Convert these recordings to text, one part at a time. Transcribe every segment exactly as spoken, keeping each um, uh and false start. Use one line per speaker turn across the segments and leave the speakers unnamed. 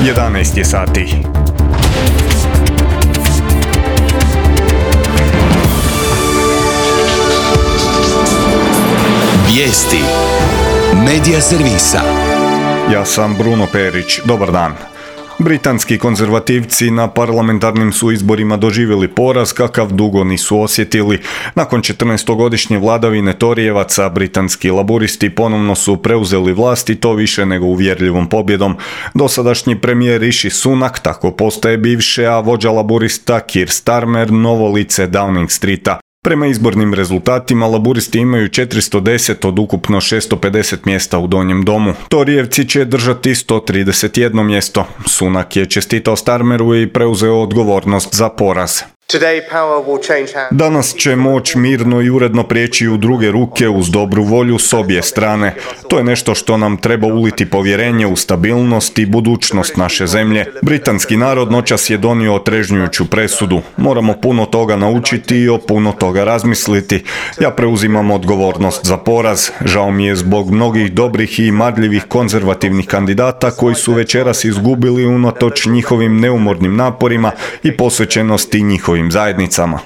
jedanaest je sati.
Vijesti Medija servisa.
Ja sam Bruno Perić. Dobar dan. Britanski konzervativci na parlamentarnim su izborima doživjeli poraz kakav dugo nisu osjetili. Nakon četrnaestogodišnje vladavine Torijevaca, britanski laburisti ponovno su preuzeli vlast i to više nego uvjerljivom pobjedom. Dosadašnji premijer Rishi Sunak tako postaje bivše, a vođa laburista Keir Starmer novo lice Downing Streeta. Prema izbornim rezultatima, laburisti imaju četiristo deset od ukupno šesto pedeset mjesta u Donjem domu. Torijevci će držati sto trideset jedno mjesto. Sunak je čestitao Starmeru i preuzeo odgovornost za poraz. Danas će moć mirno i uredno prijeći u druge ruke uz dobru volju s obje strane. To je nešto što nam treba uliti povjerenje u stabilnost i budućnost naše zemlje. Britanski narod noćas je donio otrežnjujuću presudu. Moramo puno toga naučiti i o puno toga razmisliti. Ja preuzimam odgovornost za poraz. Žao mi je zbog mnogih dobrih i marljivih konzervativnih kandidata koji su večeras izgubili unatoč njihovim neumornim naporima i posvećenosti njihovim zajednicama.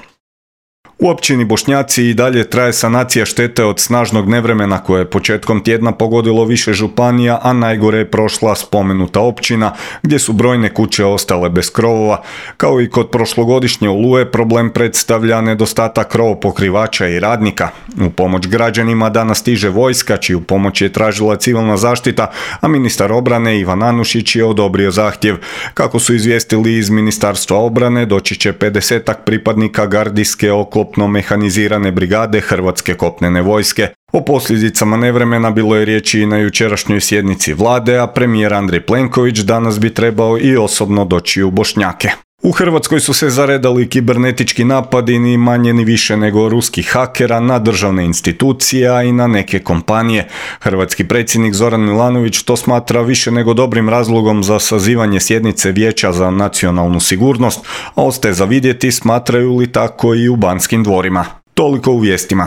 U općini Bošnjaci i dalje traje sanacija štete od snažnog nevremena koje je početkom tjedna pogodilo više županija, a najgore je prošla spomenuta općina gdje su brojne kuće ostale bez krovova. Kao i kod prošlogodišnje oluje, problem predstavlja nedostatak krovopokrivača i radnika. U pomoć građanima danas stiže vojska, čiju pomoć je tražila civilna zaštita, a ministar obrane Ivan Anušić je odobrio zahtjev. Kako su izvijestili iz Ministarstva obrane, doći će pedesetak pripadnika gardijske oklopne mehanizirane brigade Hrvatske kopnene vojske. O posljedicama nevremena bilo je riječi i na jučerašnjoj sjednici vlade, a premijer Andrej Plenković danas bi trebao i osobno doći u Bošnjake. U Hrvatskoj su se zaredali kibernetički napadi ni manje ni više nego ruskih hakera na državne institucije, a i na neke kompanije. Hrvatski predsjednik Zoran Milanović to smatra više nego dobrim razlogom za sazivanje sjednice Vijeća za nacionalnu sigurnost, a ostaje za vidjeti smatraju li tako i u Banskim dvorima. Toliko u vijestima.